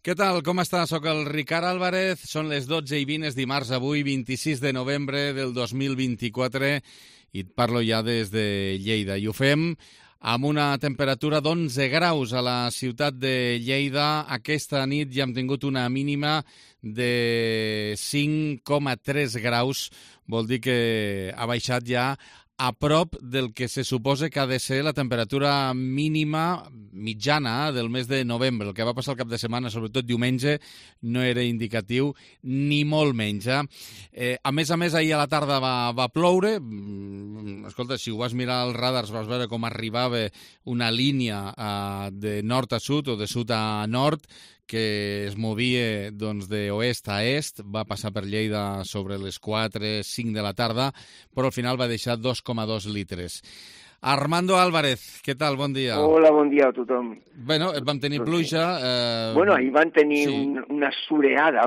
Què tal? Com està? Soc el Ricard Álvarez. Són les 12:20, és dimarts avui, 26 de novembre del 2024, i et parlo ja des de Lleida. I ho fem amb una temperatura d'11 graus a la ciutat de Lleida. Aquesta nit ja hem tingut una mínima de 5,3 graus. Vol dir que ha baixat ja a prop del que se suposa que ha de ser la temperatura mínima mitjana del mes de novembre. El que va passar el cap de setmana, sobretot diumenge, no era indicatiu ni molt menys. A més, ahir a la tarda va ploure. Escolta, si ho vas mirar als radars vas veure com arribava una línia de nord a sud o de sud a nord, que es movia d'oest a est, va passar per Lleida sobre les 4-5 de la tarda, però al final va deixar 2,2 litres. Armando Álvarez, què tal? Bon dia. Hola, bon dia a tothom. Bueno, vam tenir pluja. Ahir van tenir una surada,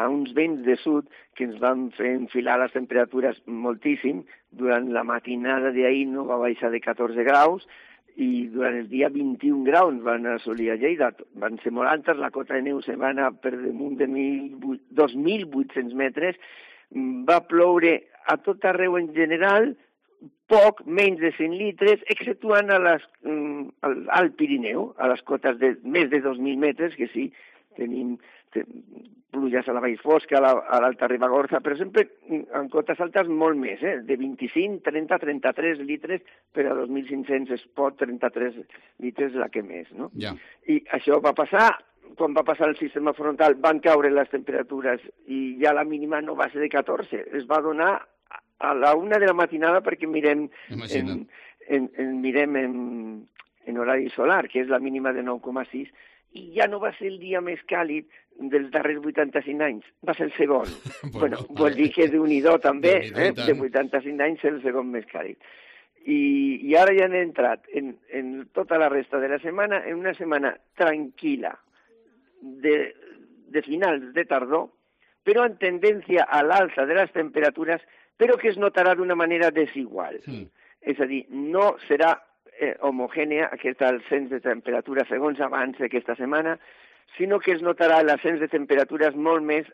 uns vents de sud que ens van fer enfilar les temperatures moltíssim. Durant la matinada d'ahir no va baixar de 14 graus, i durant el dia 21 graus van assolir a Lleida. Van ser molt altes, la cota de neu se va anar per damunt de 2.800 metres. Va ploure a tot arreu en general, poc, menys de 100 litres, exceptuant al Pirineu, a les cotes de més de 2.000 metres, que sí, tenim pluges a la Vall Fosca, a l'Alta Ribagorça, però sempre en cotes altes molt més, de 25, 30, 33 litres per a 2.500 es pot, 33 litres la que més, no? Ja. I això va passar, quan va passar el sistema frontal van caure les temperatures i ja la mínima no va ser de 14, es va donar a la 1 de la matinada perquè mirem en horari solar, que és la mínima de 9,6, i ja no va ser el dia més càlid dels darrers 85 anys, va ser el segon. Vol dir que Déu-n'hi-do també, de 85 anys ser el segon més càlid. I ara ja han entrat en tota la resta de la setmana, en una setmana tranquil·la, de finals de tardor, però en tendència a l'alça de les temperatures, però que es notarà d'una manera desigual. És a dir, no serà homogènia aquest ascens de temperatura segons avança aquesta setmana, sinó que es notarà l'ascens de temperatures molt més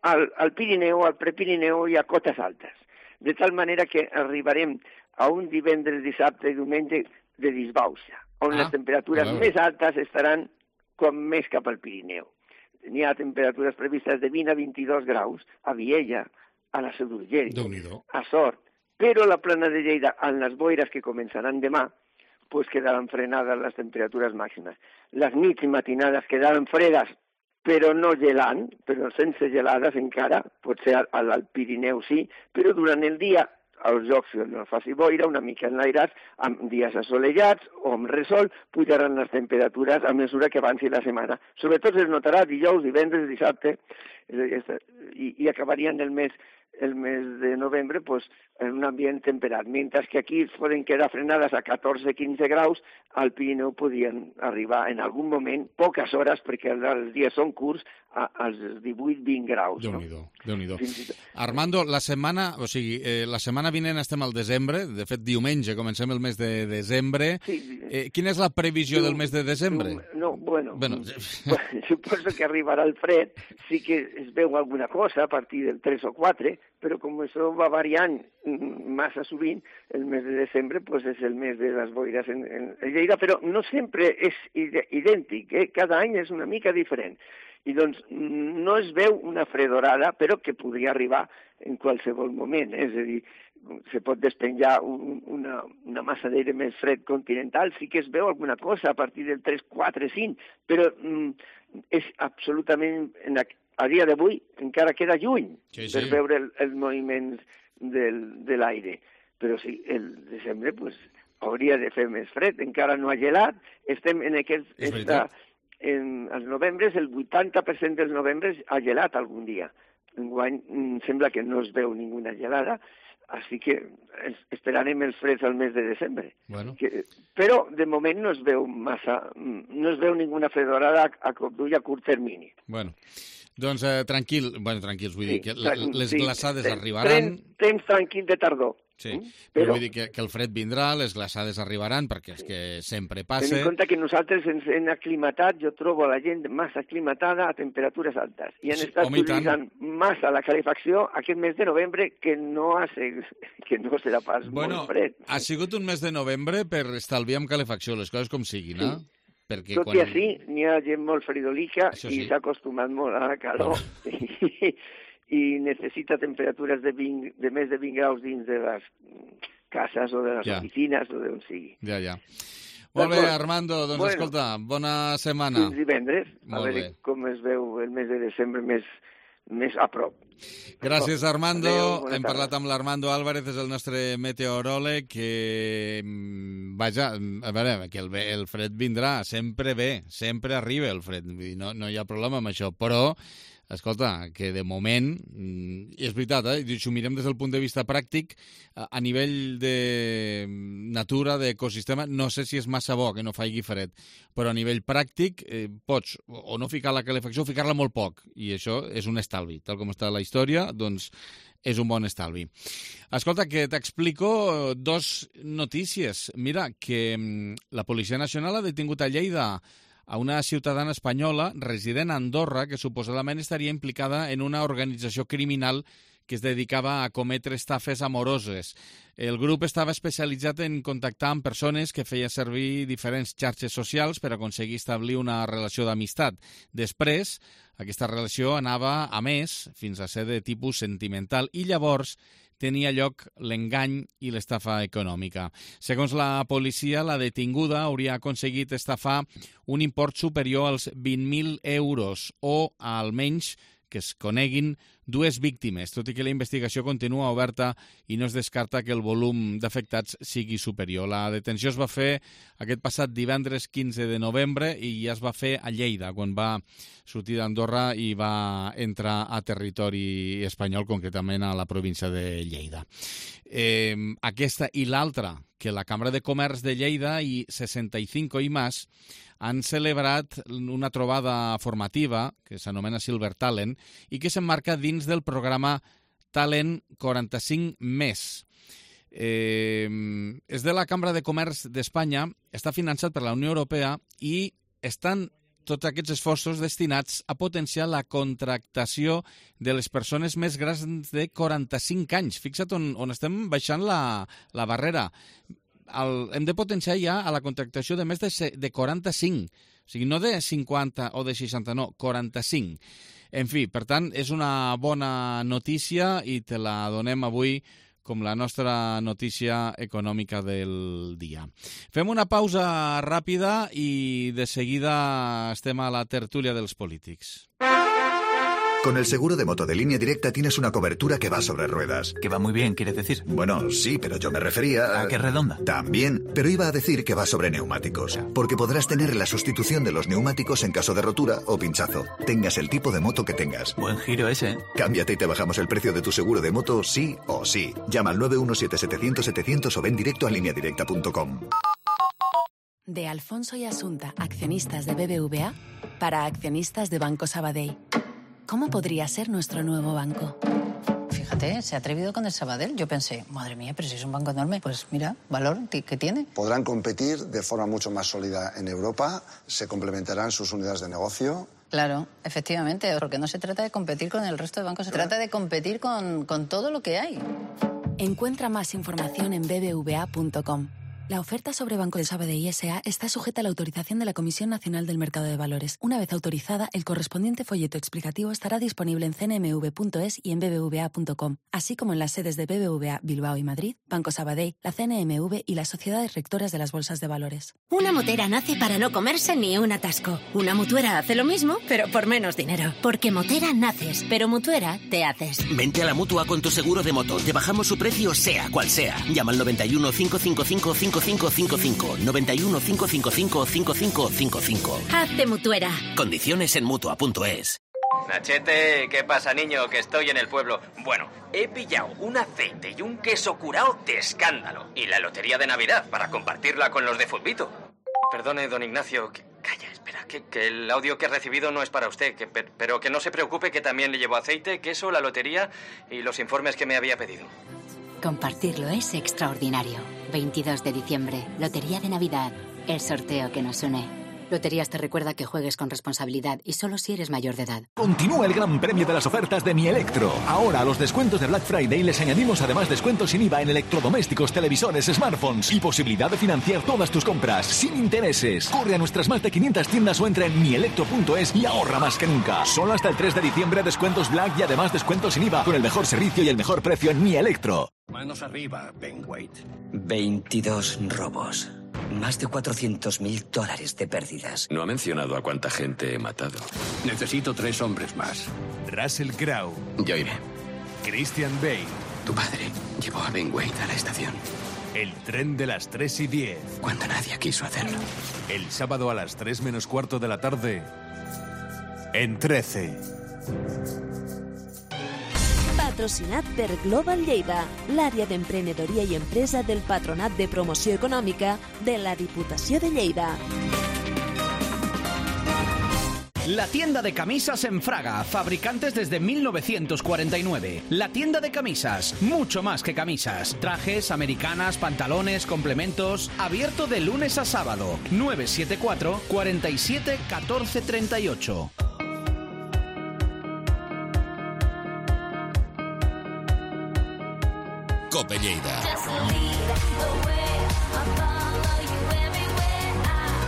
al Pirineu, al Prepirineu i a cotes altes. De tal manera que arribarem a un divendres, dissabte i diumenge de disbauxa, on les temperatures més altes estaran com més cap al Pirineu. N'hi ha temperatures previstes de 20 a 22 graus a Viella, a la Seu d'Urgell, a Sort, però la plana de Lleida, en les boires que començaran demà, pues quedaran frenades les temperatures màximes. Les nits i matinades quedaran fredes, però no gelant, però sense gelades encara, potser al Pirineu sí, però durant el dia, als llocs on no faci boira, una mica enlairats, amb dies assolellats o amb resol, pujaran les temperatures a mesura que avanci la setmana. Sobretot es notarà dijous, divendres, dissabte, i acabarien el mes de novembre pues, en un ambient temperat, mentre que aquí poden quedar frenades a 14-15 graus, al Pirineu podien arribar en algun moment, poques hores, perquè els dies són curts, als 18-20 graus. Déu-n'hi-do. Armando, la setmana vinent estem al desembre, de fet diumenge comencem el mes de desembre. Quina és la previsió del mes de desembre? Suposo que arribarà el fred, sí que es veu alguna cosa a partir del 3 o 4, però com això va variant massa sovint, el mes de desembre pues, és el mes de les boires en Lleida, però no sempre és idèntic, cada any és una mica diferent. I doncs no es veu una fredorada, però que podria arribar en qualsevol moment, és a dir, se pot despenjar una massa d'aire més fred continental, sí que es veu alguna cosa a partir del 3, 4, 5, però és absolutament, a dia d'avui, encara queda lluny per veure els moviments de l'aire. Però sí, el desembre pues, hauria de fer més fred, encara no ha gelat, estem en els novembres, el 80% dels novembres ha gelat algun dia. Enguany sembla que no es veu ninguna gelada, així que esperarem els freds al mes de desembre. Però de moment no es veu ninguna fredorada a cop d'ull a curt termini. Doncs tranquils, vull dir que les glaçades arribaran. Temps tranquil de tardor. Sí, però vull dir que el fred vindrà, les glaçades arribaran, perquè és que sempre passa. Ten en compte que nosaltres ens hem aclimatat, jo trobo la gent massa aclimatada a temperatures altes, i han estat utilitzant massa la calefacció aquest mes de novembre, que no serà pas molt fred. Ha sigut un mes de novembre per estalviar amb calefacció, les coses com siguin, eh? Sí. Tot i així, n'hi ha gent molt fridolica i s'ha acostumat molt a la calor i necessita temperatures de més de 20 graus dins de les cases o de les oficines o d'on sigui. Ja. Molt bé, Armando, doncs escolta, bona setmana. Fins divendres, a veure com es veu el mes de desembre més a prop. Gràcies, Armando. Hem parlat amb l'Armando Álvarez, és el nostre meteoròleg, que, vaja, a veure, que el fred vindrà, sempre ve, sempre arriba el fred, no hi ha problema amb això, però escolta, que de moment, i és veritat, si ho mirem des del punt de vista pràctic, a nivell de natura, d'ecosistema, no sé si és massa bo que no faci fred, però a nivell pràctic pots o no ficar la calefacció o ficar-la molt poc, i això és un estalvi. Tal com està la història, doncs és un bon estalvi. Escolta, que t'explico dos notícies. Mira, que la Policia Nacional ha detingut a Lleida a una ciutadana espanyola resident a Andorra que suposadament estaria implicada en una organització criminal que es dedicava a cometre estafes amoroses. El grup estava especialitzat en contactar amb persones que feia servir diferents xarxes socials per aconseguir establir una relació d'amistat. Després, aquesta relació anava a més, fins a ser de tipus sentimental, i llavors tenia lloc l'engany i l'estafa econòmica. Segons la policia, la detinguda hauria aconseguit estafar un import superior als 20.000 euros o almenys que es coneguin dues víctimes, tot i que la investigació continua oberta i no es descarta que el volum d'afectats sigui superior. La detenció es va fer aquest passat divendres 15 de novembre i ja es va fer a Lleida, quan va sortir d'Andorra i va entrar a territori espanyol, concretament a la província de Lleida. Aquesta i l'altra, que la Cambra de Comerç de Lleida i 65 i més han celebrat una trobada formativa que s'anomena Silver Talent i que s'emmarca dins del programa Talent 45+. És de la Cambra de Comerç d'Espanya, està finançat per la Unió Europea i estan tots aquests esforços destinats a potenciar la contractació de les persones més grans de 45 anys. Fixa't on estem baixant la barrera. Hem de potenciar ja a la contractació de més de 45, o sigui, no de 50 o de 60, no, 45. En fi, per tant, és una bona notícia i te la donem avui com la nostra notícia econòmica del dia. Fem una pausa ràpida i de seguida estem a la tertúlia dels polítics. Con el seguro de moto de Línea Directa tienes una cobertura que va sobre ruedas. Que va muy bien, ¿quieres decir? Bueno, sí, pero yo me refería ¿A qué redonda? También, pero iba a decir que va sobre neumáticos. Porque podrás tener la sustitución de los neumáticos en caso de rotura o pinchazo. Tengas el tipo de moto que tengas. Buen giro ese, ¿eh? Cámbiate y te bajamos el precio de tu seguro de moto sí o sí. Llama al 917-700-700 o ven directo a lineadirecta.com. De Alfonso y Asunta, accionistas de BBVA, para accionistas de Banco Sabadell. ¿Cómo podría ser nuestro nuevo banco? Fíjate, se ha atrevido con el Sabadell. Yo pensé, madre mía, pero si es un banco enorme, pues mira, valor que tiene. Podrán competir de forma mucho más sólida en Europa, se complementarán sus unidades de negocio. Claro, efectivamente, porque no se trata de competir con el resto de bancos, se trata de competir con todo lo que hay. Encuentra más información en bbva.com. La oferta sobre Banco de Sabadell S.A. está sujeta a la autorización de la Comisión Nacional del Mercado de Valores. Una vez autorizada, el correspondiente folleto explicativo estará disponible en cnmv.es y en bbva.com, así como en las sedes de BBVA Bilbao y Madrid, Banco Sabadell, la CNMV y las sociedades rectoras de las bolsas de valores. Una motera nace para no comerse ni un atasco. Una mutuera hace lo mismo, pero por menos dinero. Porque motera naces, pero mutuera te haces. Vente a la Mutua con tu seguro de moto. Te bajamos su precio sea cual sea. Llama al 91 555 5555. 91 555 5555. Hazte mutuera. Condiciones en Mutua.es. Nachete, ¿qué pasa, niño? Que estoy en el pueblo. Bueno, he pillado un aceite y un queso curao de escándalo. Y la lotería de Navidad para compartirla con los de Futbito. Perdone, don Ignacio. Calla, espera, que el audio que he recibido no es para usted. Pero que no se preocupe, que también le llevo aceite, queso, la lotería y los informes que me había pedido. Compartirlo es extraordinario. 22 de diciembre, Lotería de Navidad. El sorteo que nos une. Loterías te recuerda que juegues con responsabilidad y solo si eres mayor de edad. Continúa el gran premio de las ofertas de Mi Electro. Ahora a los descuentos de Black Friday les añadimos además descuentos sin IVA en electrodomésticos, televisores, smartphones y posibilidad de financiar todas tus compras sin intereses. Corre a nuestras más de 500 tiendas o entra en mielectro.es y ahorra más que nunca. Solo hasta el 3 de diciembre descuentos Black y además descuentos sin IVA con el mejor servicio y el mejor precio en Mi Electro. Manos arriba, Ben Wade. 22 robos. Más de $400.000 de pérdidas. No ha mencionado a cuánta gente he matado. Necesito 3 hombres más. Russell Crowe. Yo iré. Christian Bale. Tu padre llevó a Ben Wade a la estación. El tren de las 3:10. Cuando nadie quiso hacerlo. El sábado a las 3 menos cuarto de la tarde. En 13. Patrocinat per Global Lleida, l'àrea d'emprenedoria i empresa del Patronat de Promoció Econòmica de la Diputació de Lleida. La tienda de camisas en Fraga, fabricantes desde 1949. La tienda de camisas, mucho más que camisas. Trajes, americanas, pantalones, complementos. Abierto de lunes a sábado. 974 47 14 38. Cope Lleida.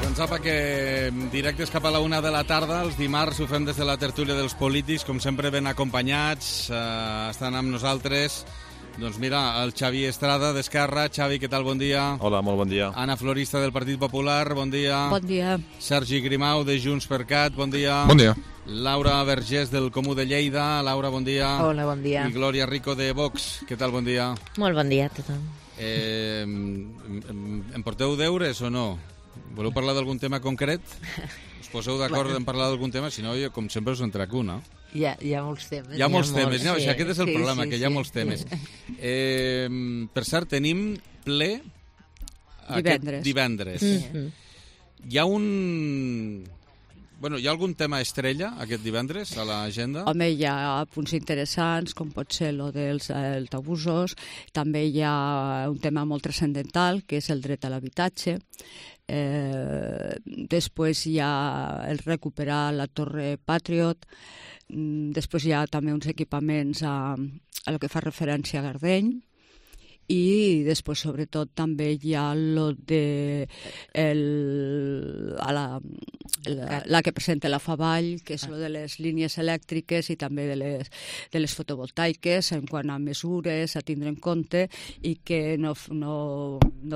Doncs apa, que directes cap a la 1 de la tarda, els dimarts ho fem des de la tertúlia dels polítics, com sempre ben acompanyats, estan amb nosaltres. Doncs mira, el Xavi Estrada d'Esquerra. Xavi, què tal? Bon dia. Hola, molt bon dia. Anna Florista del Partit Popular, bon dia. Bon dia. Sergi Grimau de Junts per Cat, bon dia. Bon dia. Laura Vergés del Comú de Lleida. Laura, bon dia. Hola, bon dia. I Glòria Rico de Vox. Què tal? Bon dia. Molt bon dia a tothom. Em porteu deures o no? Voleu parlar d'algun tema concret? Us poseu d'acord en parlar d'algun tema? Si no, jo, com sempre, us en trec un, no? Hi ha molts temes. Hi ha molts temes. No, sí, aquest és el problema, que hi ha molts temes. Per cert, tenim ple divendres. Hi ha hi ha algun tema estrella aquest divendres a l'agenda? Home, hi ha punts interessants, com pot ser el dels autobusos. També hi ha un tema molt transcendental, que és el dret a l'habitatge. Després hi ha el recuperar la Torre Patriot. Després hi ha també uns equipaments a el que fa referència a Gardeny. I després, sobretot, també hi ha la que presenta la Favall, que és lo de les línies elèctriques i també de les fotovoltaiques, en quant a mesures a tindre en compte i que no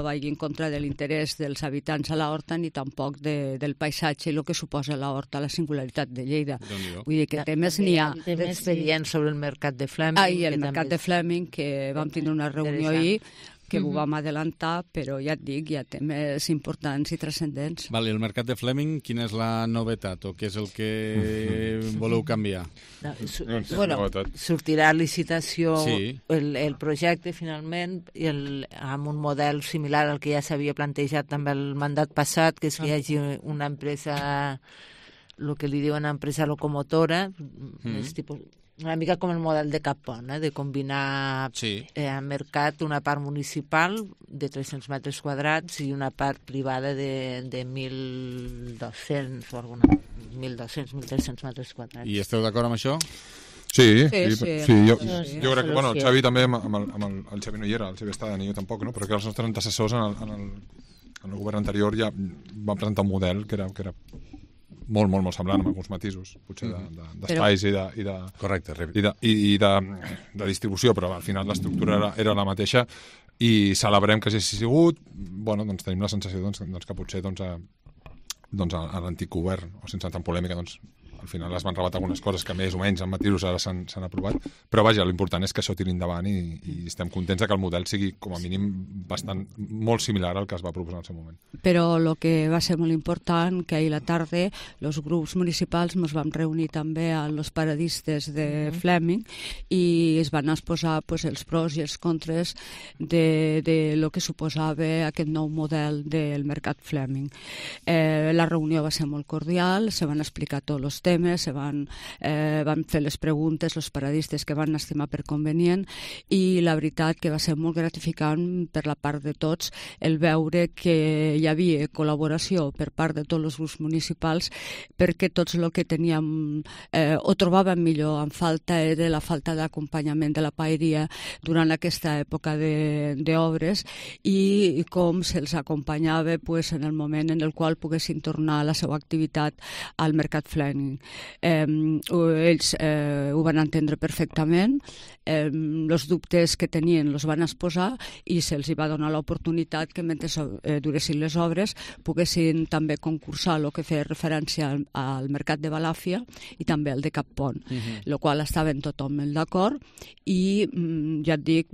vagi en contra de l'interès dels habitants a l'horta ni tampoc del paisatge i el que suposa l'horta, la singularitat de Lleida. Vull dir que temes n'hi ha. Temes veient sobre el mercat de Fleming. I el mercat de Fleming, que vam tindre una reunió que ho vam adelantar, però ja et dic, hi ha temes importants i transcendents. Vale, el mercat de Fleming, quina és la novetat o què és el que voleu canviar? Sortirà a licitació el projecte, finalment, amb un model similar al que ja s'havia plantejat també el mandat passat, que és que hi hagi una empresa, el que li diuen empresa locomotora, és tipus... Una mica com el model de Capon, de combinar a mercat una part municipal de 300 metres quadrats i una part privada de 1.200 o alguna 1.200, 1.300 metres quadrats. I esteu d'acord amb això? Sí. Jo crec que, el Xavi també, amb el Xavi no hi era, el Xavi estava ni jo tampoc, no? Però que els nostres antecessors en el govern anterior ja van presentar un model que era molt semblant, amb alguns matisos, potser d'espais i de... Correcte, i de distribució, però al final l'estructura era la mateixa i celebrem que hagi sigut. Doncs tenim la sensació que potser a l'antic govern, o sense tant polèmica, al final es van rebatar algunes coses que més o menys amb matisos ara s'han aprovat, però vaja, l'important és que això tiri endavant i estem contents que el model sigui com a mínim molt similar al que es va proposar en el seu moment. Però el que va ser molt important, que ahir a la tarda els grups municipals ens vam reunir també amb els paradistes de Fleming i es van exposar els pros i els contres de lo que suposava aquest nou model del mercat Fleming. La reunió va ser molt cordial, se van explicar tots els temes, temes, van fer les preguntes, els paradistes que van estimar per convenient, i la veritat que va ser molt gratificant per la part de tots el veure que hi havia col·laboració per part de tots els grups municipals, perquè tots el que teníem o trobàvem millor en falta era la falta d'acompanyament de la paeria durant aquesta època d'obres i com se'ls acompanyava en el moment en el qual poguessin tornar a la seva activitat al Mercat Fleming. Ells ho van entendre perfectament, els dubtes que tenien els van exposar i se'ls va donar l'oportunitat que mentre duressin les obres poguessin també concursar el que feia referència al Mercat de Balàfia i també al de Cap Pont, el qual estaven totalment d'acord i ja et dic,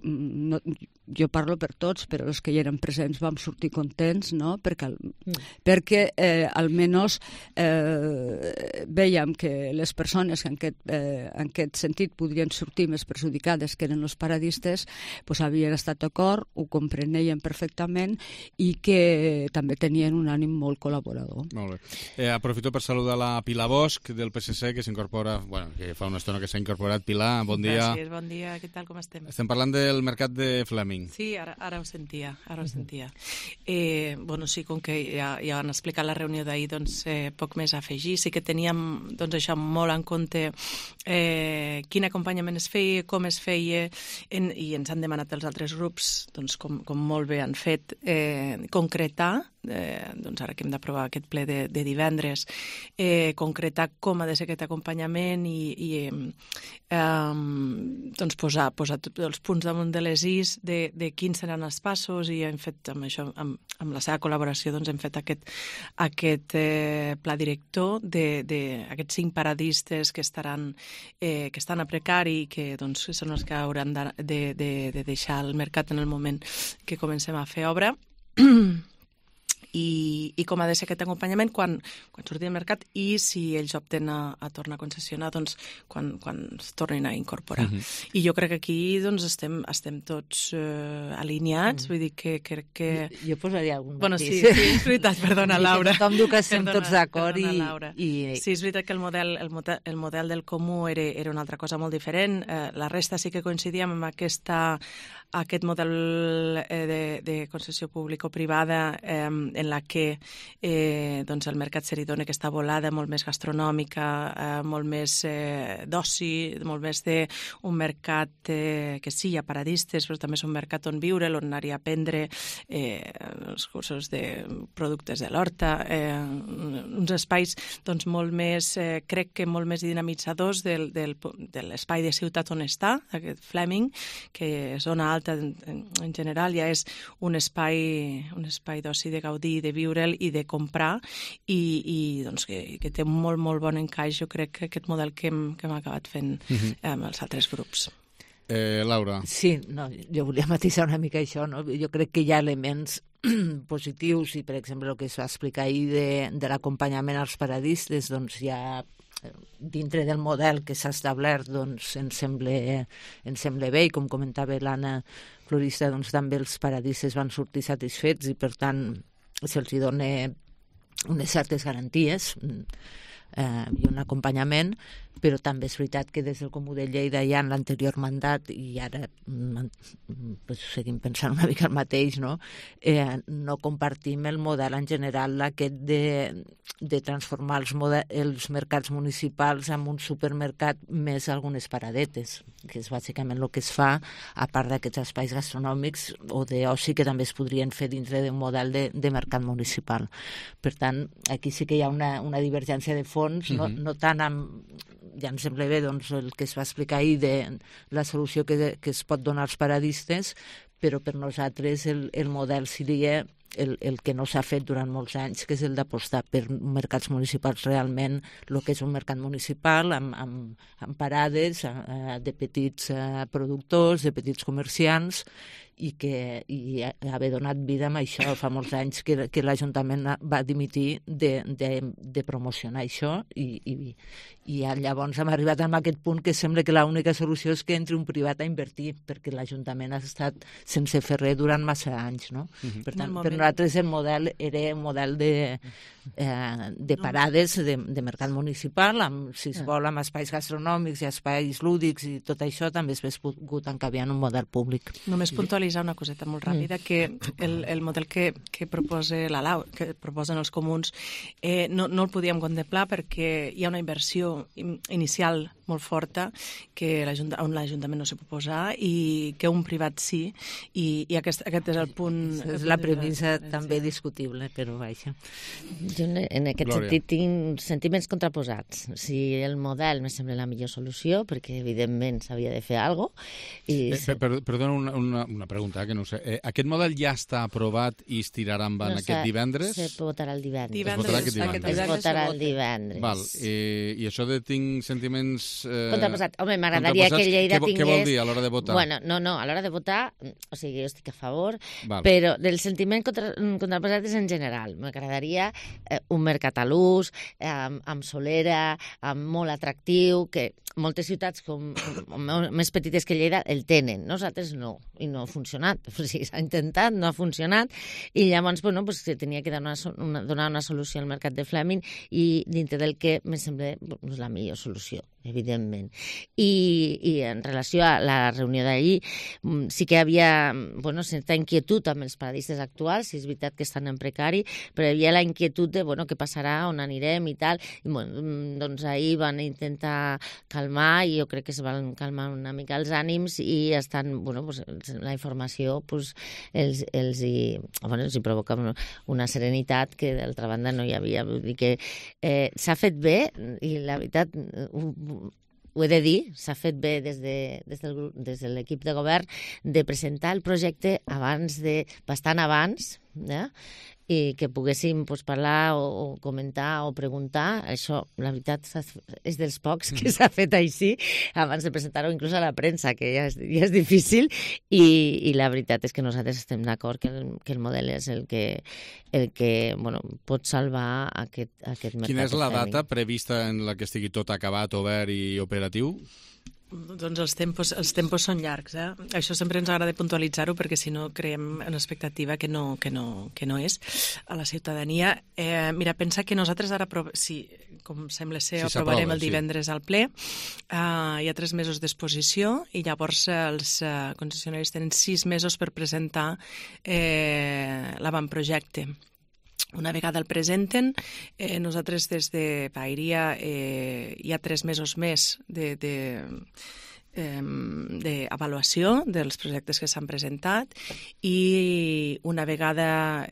jo parlo per tots, però els que hi eren presents vam sortir contents, no? Perquè almenys veiem que les persones que en aquest sentit podrien sortir més perjudicades, que eren els paradistes, havien estat d'acord, ho comprenien perfectament i que també tenien un ànim molt col·laborador. Molt bé. Aprofito per saludar la Pilar Bosch del PSC, que s'incorpora, que fa una estona que s'ha incorporat. Pilar, bon dia. Gràcies, bon dia. Què tal, com estem? Estem parlant del Mercat de Fleming. Sí, ara ho sentia, sí, com que ja han explicat la reunió d'ahir, doncs poc més a afegir. Sí que teníem això molt en compte, quin acompanyament es feia, com es feia, i ens han demanat els altres grups, doncs com molt bé han fet, concretar, doncs ara que hem d'aprovar aquest ple de divendres, concretar com ha de ser aquest acompanyament i doncs posar tots els punts damunt de les is de quins seran els passos, i hem fet amb això, amb la seva col·laboració, doncs hem fet aquest pla director d'aquests 5 paradistes que estan a precari i que doncs són els que hauran de deixar el mercat en el moment que comencem a fer obra. I com ha de ser aquest acompanyament quan surti al mercat i si ells opten a tornar a concessionar, doncs quan es tornin a incorporar. I jo crec que aquí doncs estem tots alineats, vull dir que crec que... Jo posaria algun matís. Sí, és veritat, perdona, Laura. Tothom diu que estem tots d'acord i... Sí, és veritat que el model del comú era una altra cosa molt diferent. La resta sí que coincidíem amb aquest model de concessió público-privada en la que doncs el mercat se li dona aquesta volada molt més gastronòmica, molt més d'oci, molt més d'un mercat que sí, hi ha paradistes, però també és un mercat on viure, on anar-hi a aprendre els cursos de productes de l'horta, uns espais doncs molt més, crec que molt més dinamitzadors de l'espai de ciutat on està, aquest Fleming, que zona alta en general ja és un espai d'oci, de gaudir, de viure'l i de comprar, i doncs que té un molt, molt bon encaix, jo crec, que aquest model que hem acabat fent amb els altres grups. Laura. Sí, jo volia matisar una mica això, no? Jo crec que hi ha elements positius i, per exemple, el que es va explicar ahir de l'acompanyament als paradistes, doncs ja dintre del model que s'ha establert doncs ens sembla bé, i com comentava l'Anna Florista, doncs també els paradistes van sortir satisfets i per tant se'ls dona unes certes garanties i un acompanyament, però també és veritat que des del Comú de Lleida ja en l'anterior mandat, i ara seguim pensant una mica el mateix, no compartim el model en general aquest de transformar els mercats municipals en un supermercat més algunes paradetes, que és bàsicament el que es fa, a part d'aquests espais gastronòmics o d'oci que també es podrien fer dintre d'un model de mercat municipal. Per tant, aquí sí que hi ha una divergència de fons, no tant amb... Ja em sembla bé doncs, el que es va explicar ahir de la solució que es pot donar als paradistes, però per nosaltres el model seria el que no s'ha fet durant molts anys, que és el d'apostar per mercats municipals realment, el que és un mercat municipal amb parades de petits productors, de petits comerciants, i haver donat vida amb això. Fa molts anys que l'Ajuntament va dimitir de promocionar això i llavors hem arribat a aquest punt que sembla que l'única solució és que entri un privat a invertir, perquè l'Ajuntament ha estat sense fer res durant massa anys, no? Per tant, per nosaltres el model era un model de parades de mercat municipal, si es vol, amb espais gastronòmics i espais lúdics i tot això també es hauria pogut encabiar en un model públic. Només puntualitzar una coseta molt ràpida, que el model que proposa la Lau, que proposen els comuns, no el podíem contemplar perquè hi ha una inversió inicial molt forta on l'Ajuntament no s'hi pot posar i que un privat sí, i aquest és el punt... És la premissa també discutible, però vaja. Jo en aquest sentit tinc sentiments contraposats. Si el model me sembla la millor solució, perquè evidentment s'havia de fer alguna cosa. Perdona una pregunta, que no sé. Aquest model ja està aprovat i es tirarà endavant aquest divendres? Se votarà el divendres. Es votarà el divendres. Val. I això de tinc sentiments... Contraposats. Home, m'agradaria que Lleida tingués... Què vol dir a l'hora de votar? Bueno, no, a l'hora de votar, o sigui, jo estic a favor, però del sentiment contraposat és en general. M'agradaria un mercat a l'ús, amb solera, molt atractiu, que moltes ciutats més petites que Lleida el tenen, nosaltres no, i no ha funcionat. O sigui, s'ha intentat, no ha funcionat, i llavors se tenia que donar una solució al mercat de Fleming, i dintre del que me sembla la millor solució, evidentment. I en relació a la reunió d'ahir, sí que hi havia certa inquietud amb els paradistes actuals, si és veritat que estan en precari, però hi havia la inquietud de què passarà, on anirem i tal. Doncs ahir van intentar calmar, i jo crec que es van calmar una mica els ànims, i estan, la informació els hi provoca una serenitat que d'altra banda no hi havia. Vull dir que s'ha fet bé, i la veritat ho he de dir, s'ha fet bé des de l'equip de govern de presentar el projecte bastant abans, i que poguéssim parlar o comentar o preguntar. Això, la veritat, és dels pocs que s'ha fet així, abans de presentar-ho inclús a la premsa, que ja és difícil, i la veritat és que nosaltres estem d'acord que el model és el que pot salvar aquest mercat. Quina és la data prevista en la que estigui tot acabat, obert i operatiu? Doncs els tempos són llargs, Això sempre ens agrada puntualitzar-ho, perquè si no creem una expectativa que no és a la ciutadania. Mira, pensa que nosaltres ara, com sembla ser, aprovarem el divendres al ple. Hi ha 3 mesos d'exposició, i llavors els concessionaris tenen 6 mesos per presentar l'avantprojecte. Una vegada el presenten, nosaltres des de Paeria hi ha 3 mesos més d'avaluació dels projectes que s'han presentat, i una vegada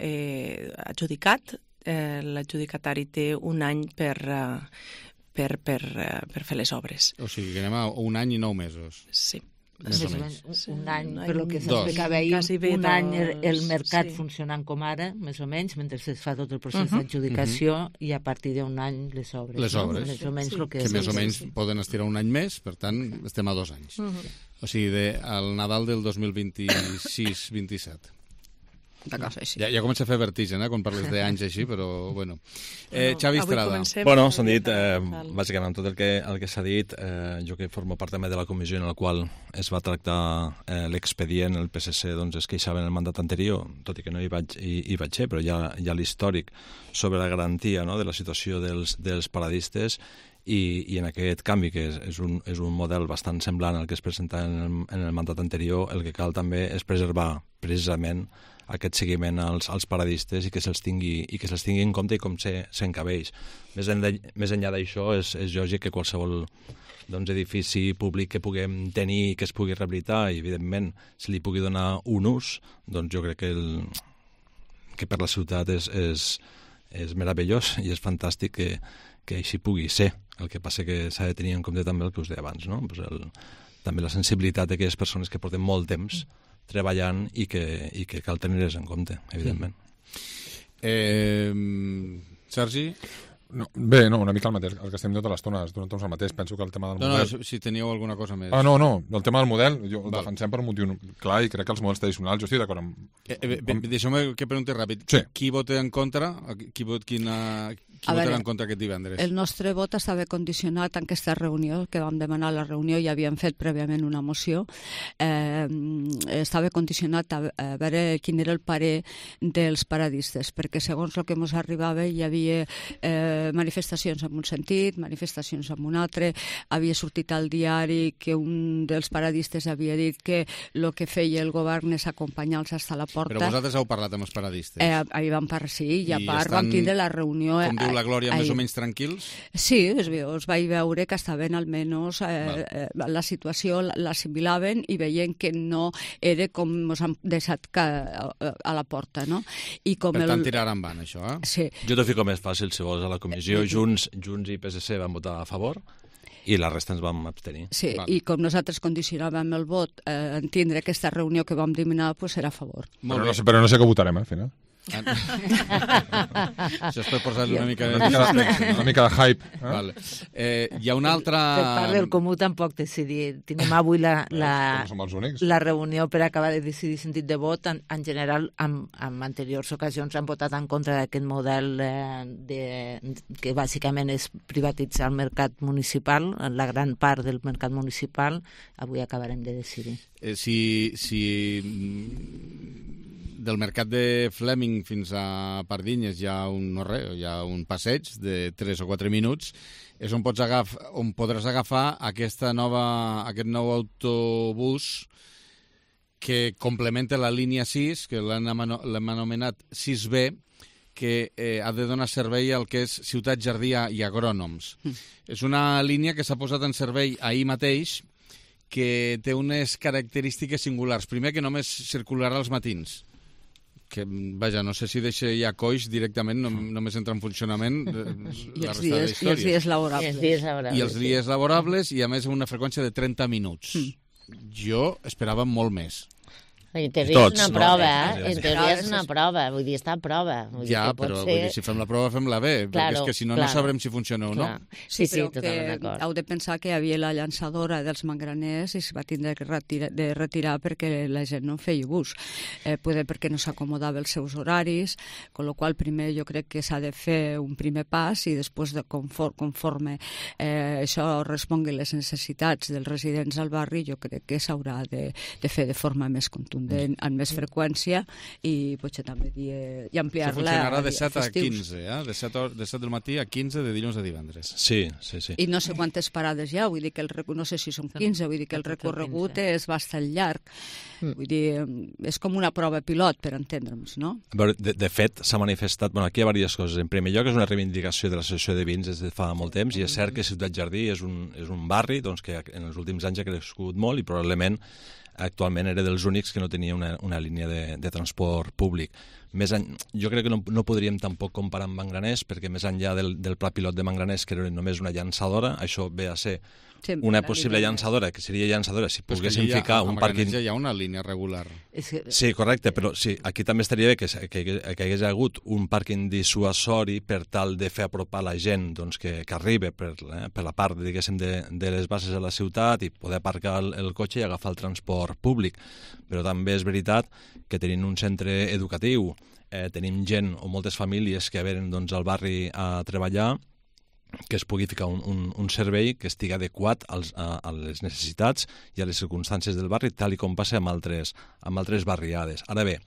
adjudicat, l'adjudicatari té un any per fer les obres. O sigui, que anem a un any i 9 mesos. Sí. Un any, per lo que s'explicava ahir, un any el mercat funcionant com ara, més o menys, mentre es fa tot el procés d'adjudicació, i a partir d'un any les obres. Les obres, que més o menys poden estirar un any més, per tant, estem a 2 anys. O sigui, al Nadal del 2026-27. Ja comença a fer vertigen, quan parles d'anys així, però bueno. Xavi Estrada. Bueno, s'han dit, bàsicament, tot el que s'ha dit. Jo que formo part també de la comissió en la qual es va tractar l'expedient, el PSC es queixava en el mandat anterior, tot i que no hi vaig ser, però hi ha l'històric sobre la garantia de la situació dels paradistes, i en aquest canvi, que és un model bastant semblant al que es presenta en el mandat anterior, el que cal també és preservar precisament aquest seguiment als paradistes, i que se'ls tingui en compte i com s'encabeix. Més enllà d'això, és lògic que qualsevol edifici públic que puguem tenir i que es pugui rehabilitar, i evidentment se li pugui donar un ús, jo crec que per la ciutat és meravellós i és fantàstic que així pugui ser. El que passa que s'ha de tenir en compte també el que us deia abans, també la sensibilitat d'aquelles persones que porten molt temps treballant i que cal tenir-les en compte, evidentment. Sergi? Bé, no, una mica el mateix, el que estem tota l'estona, el mateix, penso que el tema del model... No, si teníeu alguna cosa més... No, el tema del model, el defensem per un motiu clar i crec que els models tradicionals, jo estic d'acord amb... Deixeu-me que pregunti ràpid. Sí. Qui vota en contra? Qui votarà en contra aquest divendres? El nostre vot estava condicionat en aquesta reunió, que vam demanar a la reunió i havíem fet prèviament una moció. Estava condicionat a veure quin era el parer dels paradistes, perquè segons el que ens arribava hi havia manifestacions en un sentit, manifestacions en un altre, havia sortit al diari que un dels paradistes havia dit que el que feia el govern és acompanyar-los fins a la porta. Però vosaltres heu parlat amb els paradistes? Ahir vam parlar, sí, i a part vam tindre la reunió... Com diu la Glòria, més o menys tranquils? Sí, es vaig veure que estaven almenys la situació l'assimilaven i veien que no era com ens han deixat a la porta, no? I com per tant, tirar endavant, això, eh? Sí. Jo t'ho fico més fàcil, si vols, a la comissió. Junts i PSC van votar a favor i la resta ens vam abstenir. Sí, i com nosaltres condicionàvem el vot en tindre aquesta reunió que vam demanar, doncs era a favor. Però no sé què votarem, al final. Això és per posar-li una mica de hype. Vale. Hi ha una altra... Per part del Comú tampoc decidir. Tenim avui la reunió per acabar de decidir sentit de vot. En general, en anteriors ocasions han votat en contra d'aquest model que bàsicament és privatitzar el mercat municipal, la gran part del mercat municipal. Avui acabarem de decidir. Si del mercat de Fleming fins a Pardinyes hi ha un passeig de 3 o 4 minuts, és on podràs agafar aquest nou autobús que complementa la línia 6, que l'hem anomenat 6B, que ha de donar servei al que és Ciutat Jardí i Agrònoms. És una línia que s'ha posat en servei ahir mateix, que té unes característiques singulars. Primer, que només circularà als matins. Que, vaja, no sé si deixa ja coix directament, només entra en funcionament I els dies laborables. I els dies laborables, i a més una freqüència de 30 minuts. Jo esperava molt més. En teoria és una prova, En teoria és una prova, vull dir, està a prova. Ja, però si fem la prova, fem-la bé, perquè és que si no, no sabrem si funciona o no. Sí, totalment d'acord. Heu de pensar que hi havia la llançadora dels Mangraners i es va tindre de retirar perquè la gent no feia ús. Potser perquè no s'acomodava els seus horaris, amb la qual primer jo crec que s'ha de fer un primer pas i després, conforme això respongui les necessitats dels residents al barri, jo crec que s'haurà de fer de forma més contundent, amb més freqüència i potser també ampliar-la. Això funcionarà de 7 a 15, de 7 del matí a 15 de dilluns a divendres. Sí. I no sé quantes parades hi ha, vull dir que no sé si són 15, vull dir que el recorregut és bastant llarg. Vull dir, és com una prova pilot, per entendre'ns, no? De fet, s'ha manifestat... aquí hi ha diverses coses. En primer lloc, és una reivindicació de l'associació de vins des de fa molt temps, i és cert que Ciutat Jardí és un barri que en els últims anys ha crescut molt i probablement actualment era dels únics que no tenia una línia de transport públic. Jo crec que no podríem tampoc comparar amb Mangraners, perquè més enllà del pla pilot de Mangraners, que era només una llançadora, això ve a ser una possible llançadora, que seria llançadora si poguéssim ficar un pàrquing... Ja hi ha una línia regular. Sí, correcte, però sí, aquí també estaria bé que hi hagués hagut un pàrquing dissuasori per tal de fer apropar la gent que arriba per la part, diguéssim, de les bases de la ciutat i poder aparcar el cotxe i agafar el transport públic. Però també és veritat que tenint un centre educatiu, tenim gent o moltes famílies que venen al barri a treballar, que es pugui ficar un servei que estigui adequat a les necessitats i a les circumstàncies del barri, tal com passa amb altres barriades. Ara bé,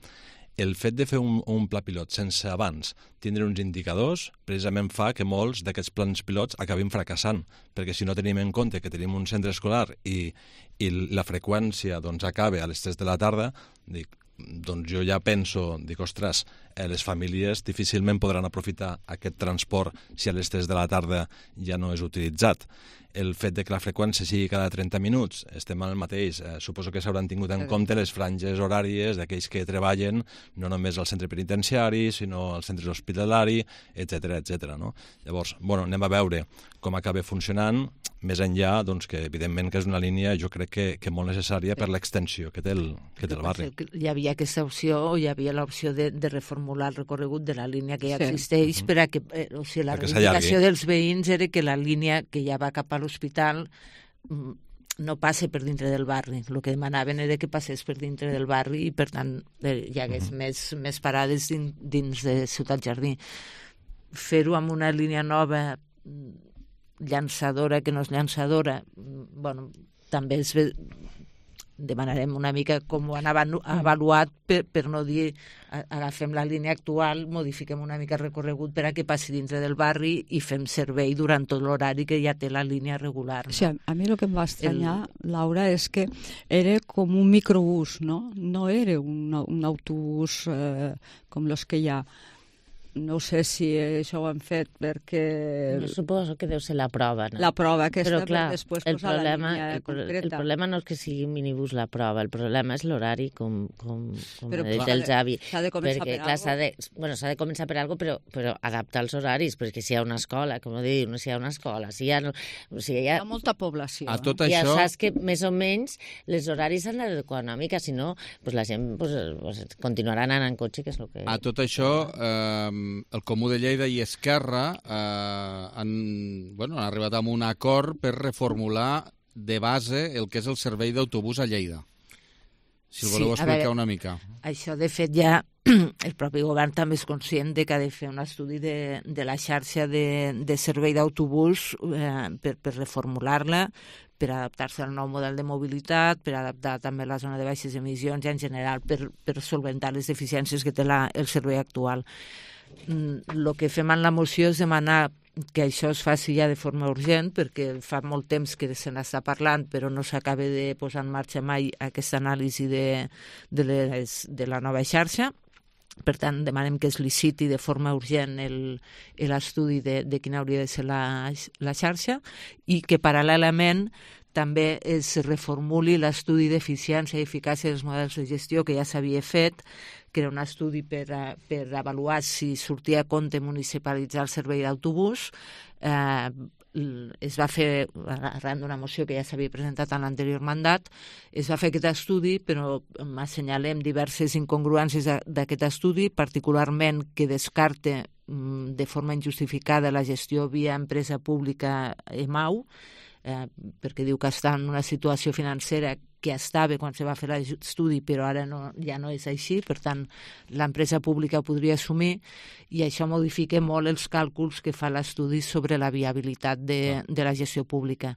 el fet de fer un pla pilot sense abans tindre uns indicadors precisament fa que molts d'aquests plans pilots acabin fracassant, perquè si no tenim en compte que tenim un centre escolar i la freqüència acaba a les 3 de la tarda, jo ja penso, ostres, les famílies difícilment podran aprofitar aquest transport si a les 3 de la tarda ja no és utilitzat. El fet de que la freqüència sigui cada 30 minuts, estem al mateix. Suposo que s'hauran tingut en compte les franges horàries d'aquells que treballen no només al centre penitenciari, sinó al centre hospitalari, etc. No? Llavors, anem a veure com acaba funcionant. més enllà, doncs, que evidentment que és una línia, jo crec que molt necessària per l'extensió que té el barri. Hi havia aquesta opció, o hi havia l'opció de reformular el recorregut de la línia que ja existeix, per a que, o sigui, la reivindicació dels veïns era que la línia que ja va cap a l'hospital no passe per dintre del barri. El que demanaven era que passés per dintre del barri i, per tant, hi hagués més parades dins de Ciutat Jardí. Fer-ho amb una línia nova, llançadora, que no és llançadora, bueno, també demanarem una mica com ho han avaluat per no dir agafem la línia actual, modifiquem una mica el recorregut per a que passi dintre del barri i fem servei durant tot l'horari que ja té la línia regular. O sigui, a mi el que em va estranyar, Laura, és que era com un microbús, no? No era un autobús com els que hi ha. No sé si això ho han fet perquè... Suposo que deu ser la prova, no? La prova aquesta, però clar, per després posar la línia concreta. El problema no és que sigui minibús la prova, el problema és l'horari, com ha dit el Xavi. S'ha de començar per alguna cosa. S'ha de començar per alguna cosa, però adaptar els horaris, perquè si hi ha una escola, com diu, si hi ha una escola, si hi ha... Hi ha molta població. A tot això... Ja saps que més o menys les horaris s'han d'adequar una mica, si no, la gent continuarà anant en cotxe, que és el que... A tot això... el Comú de Lleida i Esquerra han arribat a un acord per reformular de base el que és el servei d'autobús a Lleida. Si el voleu explicar una mica. Això, de fet, ja el propi govern també és conscient de que ha de fer un estudi de la xarxa de servei d'autobús per reformular-la, per adaptar-se al nou model de mobilitat, per adaptar també la zona de baixes emissions i, en general, per solventar les deficiències que té el servei actual. El que fem en la moció és demanar que això es faci ja de forma urgent, perquè fa molt temps que se n'està parlant, però no s'acaba de posar en marxa mai aquesta anàlisi de la nova xarxa. Per tant, demanem que es liciti de forma urgent l'estudi de quina hauria de ser la xarxa i que paral·lelament també es reformuli l'estudi d'eficiència i eficàcia dels models de gestió que ja s'havia fet, que era un estudi per avaluar si sortia a compte municipalitzar el servei d'autobús. Es va fer, arran d'una moció que ja s'havia presentat en l'anterior mandat, es va fer aquest estudi, però assenyalem diverses incongruències d'aquest estudi, particularment que descarte de forma injustificada la gestió via empresa pública EMAU, perquè diu que està en una situació financera que estava quan se va fer l'estudi, però ara ja no és així, per tant, l'empresa pública ho podria assumir i això modifica molt els càlculs que fa l'estudi sobre la viabilitat de la gestió pública.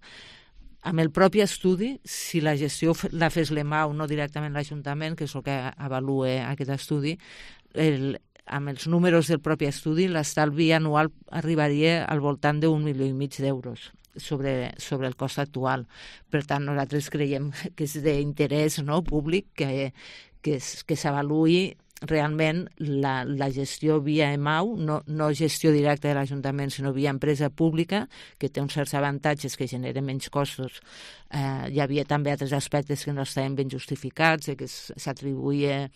Amb el propi estudi, si la gestió la fes l'EMAU, no directament l'Ajuntament, que és el que avalua aquest estudi, amb els números del propi estudi, l'estalvi anual arribaria al voltant d'1,5 milió d'euros sobre el cost actual. Per tant, nosaltres creiem que és d'interès públic que s'avaluï realment la gestió via EMAU, no gestió directa de l'Ajuntament, sinó via empresa pública, que té uns certs avantatges, que genera menys costos. Hi havia també altres aspectes que no estaven ben justificats, que s'atribuïa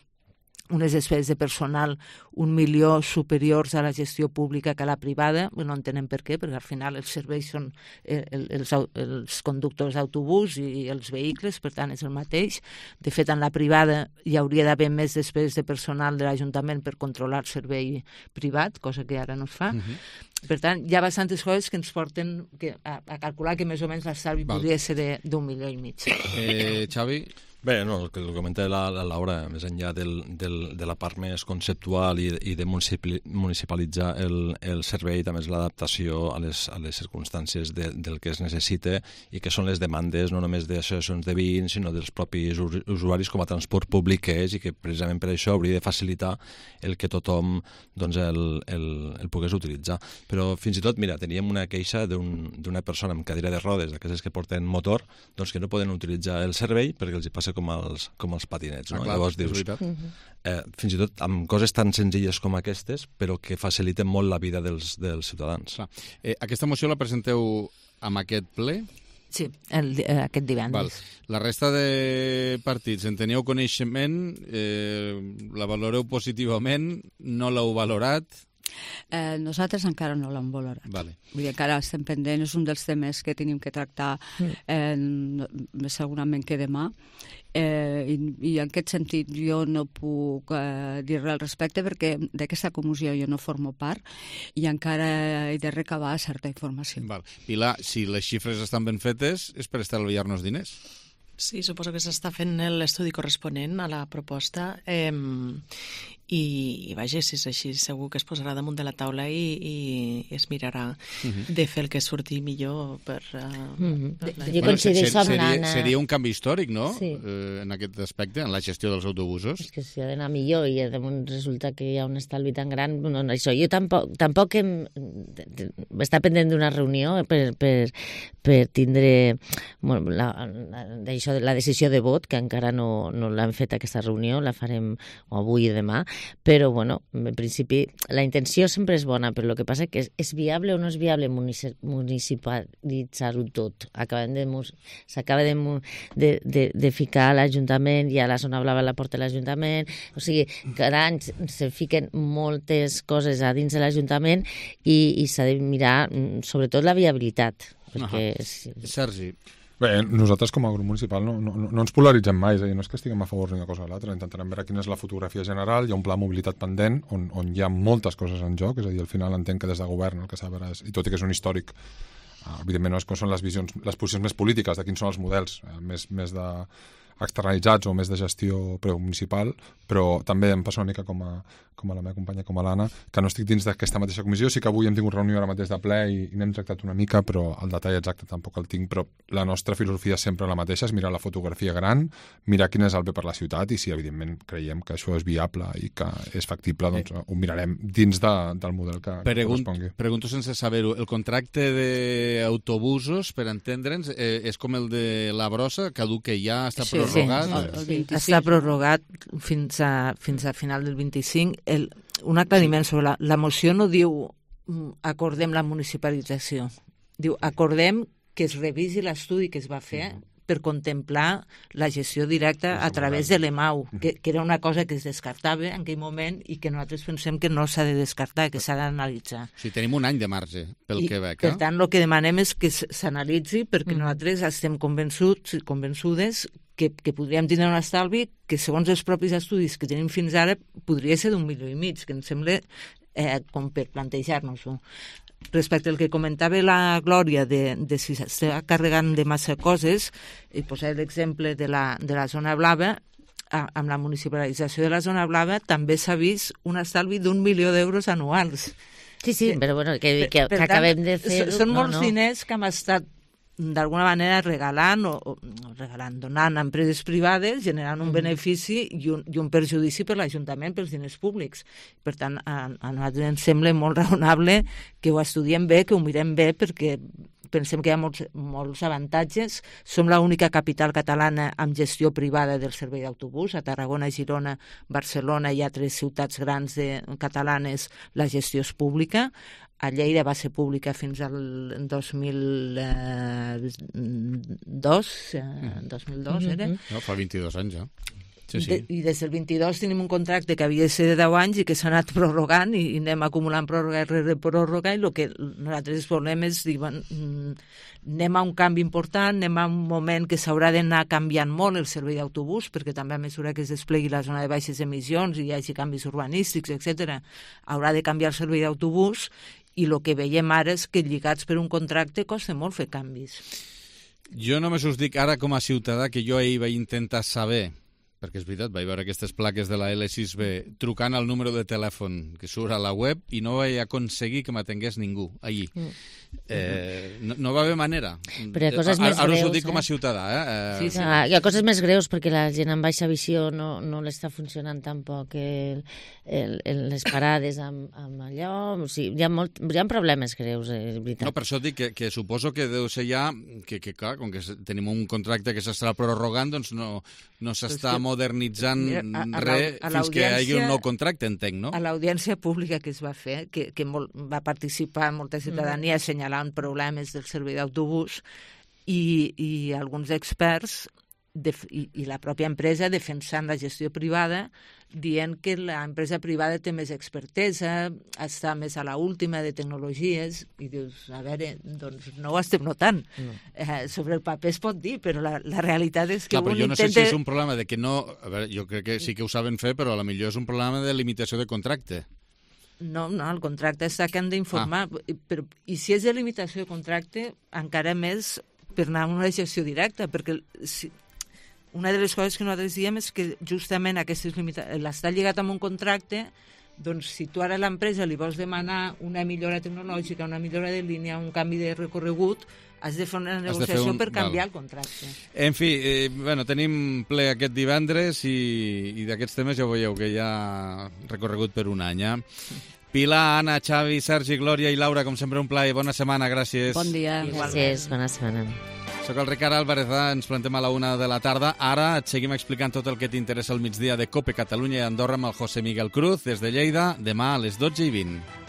unes despeses de personal 1 milió superiors a la gestió pública que a la privada. No entenem per què, perquè al final els serveis són els conductors d'autobús i els vehicles, per tant és el mateix. De fet, en la privada hi hauria d'haver més despeses de personal de l'Ajuntament per controlar el servei privat, cosa que ara no es fa. Per tant, hi ha bastantes coses que ens porten a calcular que més o menys l'estalvi podria ser d'1,5 milió. Xavi? Bé, no, el que comenta la Laura, més enllà de la part més conceptual i de municipalitzar el servei, també és l'adaptació a les circumstàncies del que es necessita i que són les demandes no només d'associacions de veïns, sinó dels propis usuaris com a transport públic que és, i que precisament per això hauria de facilitar el que tothom el pogués utilitzar. Però fins i tot, mira, teníem una queixa d'una persona amb cadira de rodes, d'aquestes que porten motor, doncs que no poden utilitzar el servei perquè els hi passa com els patinets. No? Llavors dius, fins i tot amb coses tan senzilles com aquestes, però que faciliten molt la vida dels ciutadans. Aquesta moció la presenteu amb aquest ple? Sí, aquest divendres. La resta de partits en teníeu coneixement, la valoreu positivament, no l'heu valorat? Nosaltres encara no l'hem valorat. Vale. Vull dir, encara estem pendents, és un dels temes que tenim que tractar segurament que demà. I en aquest sentit jo no puc dir res al respecte perquè d'aquesta comissió jo no formo part i encara he de recabar certa informació. Val. Pilar, si les xifres estan ben fetes és per estalviar-nos diners. Sí, suposo que s'està fent l'estudi corresponent a la proposta i vaja, si és així, segur que es posarà damunt de la taula i es mirarà de fer el que surti millor per... Jo coincideixo amb l'Anna. Seria un canvi històric, no?, Sí. En aquest aspecte, en la gestió dels autobusos. És que si ha d'anar millor i resulta que hi ha un estalvi tan gran, no, això. Jo tampoc està pendent d'una reunió per tindre la decisió de vot, que encara no l'hem fet aquesta reunió, la farem avui i demà, però, bueno, en principi, la intenció sempre és bona, però el que passa que és viable o no és viable municipalitzar-ho tot. S'acaba de ficar a l'Ajuntament, i a la zona blava la porta l'Ajuntament, o sigui, cada any se fiquen moltes coses a dins de l'Ajuntament i s'ha de mirar, sobretot, la viabilitat. Sergi. Bé, nosaltres com a grup municipal no ens polaritzem mai, és a dir, no és que estiguem a favor d'una cosa o l'altra, intentarem veure quina és la fotografia general, hi ha un pla de mobilitat pendent on hi ha moltes coses en joc, és a dir, al final entenc que des de govern el que s'ha de veure és, i tot i que és un històric, evidentment no és com són les posicions més polítiques de quins són els models més de externalitzats o més de gestió municipal, però també em passa una mica com a la meva companya, com a l'Anna, que no estic dins d'aquesta mateixa comissió. Sí que avui hem tingut reunió ara mateix de ple i n'hem tractat una mica, però el detall exacte tampoc el tinc, però la nostra filosofia és sempre la mateixa, és mirar la fotografia gran, mirar quin és el bé per la ciutat i si evidentment creiem que això és viable i que és factible, doncs ho mirarem dins del model que correspongui. Pregunto sense saber-ho, el contracte d'autobusos, per entendre'ns, és com el de la Brossa, caduca ja, està prorrogat? Sí, està prorrogat fins a final del 25. Un aclariment sobre la moció no diu acordem la municipalització, diu acordem que es revisi l'estudi que es va fer per contemplar la gestió directa a través de l'EMAU, que era una cosa que es descartava en aquell moment i que nosaltres pensem que no s'ha de descartar, que s'ha d'analitzar. O sigui, tenim un any de marge pel Quebec. Per tant, el que demanem és que s'analitzi perquè nosaltres estem convençudes que podríem tindre un estalvi que, segons els propis estudis que tenim fins ara, podria ser d'1,5 milió, que em sembla com per plantejar-nos-ho. Respecte al que comentava la Glòria de si s'està carregant de massa coses, i posaré l'exemple de la zona blava, amb la municipalització de la zona blava també s'ha vist un estalvi d'1 milió d'euros anuals. Sí, però bueno, que acabem de fer... Són molts diners que hem estat d'alguna manera regalant, donant a empreses privades, generant un benefici i un perjudici per l'Ajuntament pels diners públics. Per tant, a nosaltres ens sembla molt raonable que ho estudiem bé, que ho mirem bé, perquè pensem que hi ha molts avantatges. Som l'única capital catalana amb gestió privada del servei d'autobús. A Tarragona, Girona, Barcelona i altres ciutats grans catalanes la gestió és pública. A Lleida va ser pública fins al 2002, era? No, fa 22 anys, ja. Sí. I des del 22 tenim un contracte que havia de ser de 10 anys i que s'ha anat prorrogant i anem acumulant pròrroga rere pròrroga i el que nosaltres volem és dir, anem a un canvi important, anem a un moment que s'haurà d'anar canviant molt el servei d'autobús perquè també a mesura que es desplegui la zona de baixes emissions i hi hagi canvis urbanístics, etc., haurà de canviar el servei d'autobús i el que veiem ara és que lligats per un contracte costa molt fer canvis. Jo només us dic ara com a ciutadà que jo ahir vaig intentar saber, perquè és veritat, vaig veure aquestes plaques de la L6B trucant al número de telèfon que surt a la web i no vaig aconseguir que m'atengués ningú allí. No va haver manera. Però hi ha coses més greus. Ara us ho dic com a ciutadà. Sí. Hi ha coses més greus perquè la gent amb baixa visió no l'està funcionant tampoc les parades amb allò. O sigui, hi ha problemes greus, és veritat. No, per això dic que suposo que deu ser ja que clar, com que tenim un contracte que s'estarà prorrogant, doncs no s'està modernitzant res fins que hi hagi un nou contracte, entenc, no? A l'audiència pública que es va fer, que va participar molta ciutadania assenyalant problemes del servei d'autobús i alguns experts i la pròpia empresa defensant la gestió privada, dient que l'empresa privada té més expertesa, està més a la última de tecnologies, i dius, a veure, doncs no ho estem notant. Sobre el paper es pot dir, però la realitat és que però jo no sé si és un problema de que no... A veure, jo crec que sí que ho saben fer, però potser és un problema de limitació de contracte. No, el contracte està que han d'informar. I si és de limitació de contracte, encara més per anar a una gestió directa, perquè una de les coses que nosaltres diem és que justament l'estar lligat amb un contracte, doncs si tu ara a l'empresa li vols demanar una millora tecnològica, una millora de línia, un canvi de recorregut, has de fer una negociació per canviar el contracte. En fi, tenim ple aquest divendres i d'aquests temes ja veieu que hi ha recorregut per un any. Pilar, Anna, Xavi, Sergi, Glòria i Laura, com sempre un plaer. Bona setmana, gràcies. Bon dia. Gràcies, bona setmana. Soc el Ricard Álvarez, ens plantem a la 1 de la tarda. Ara et seguim explicant tot el que t'interessa al migdia de COPE Catalunya i Andorra amb el José Miguel Cruz des de Lleida, demà a les 12:20.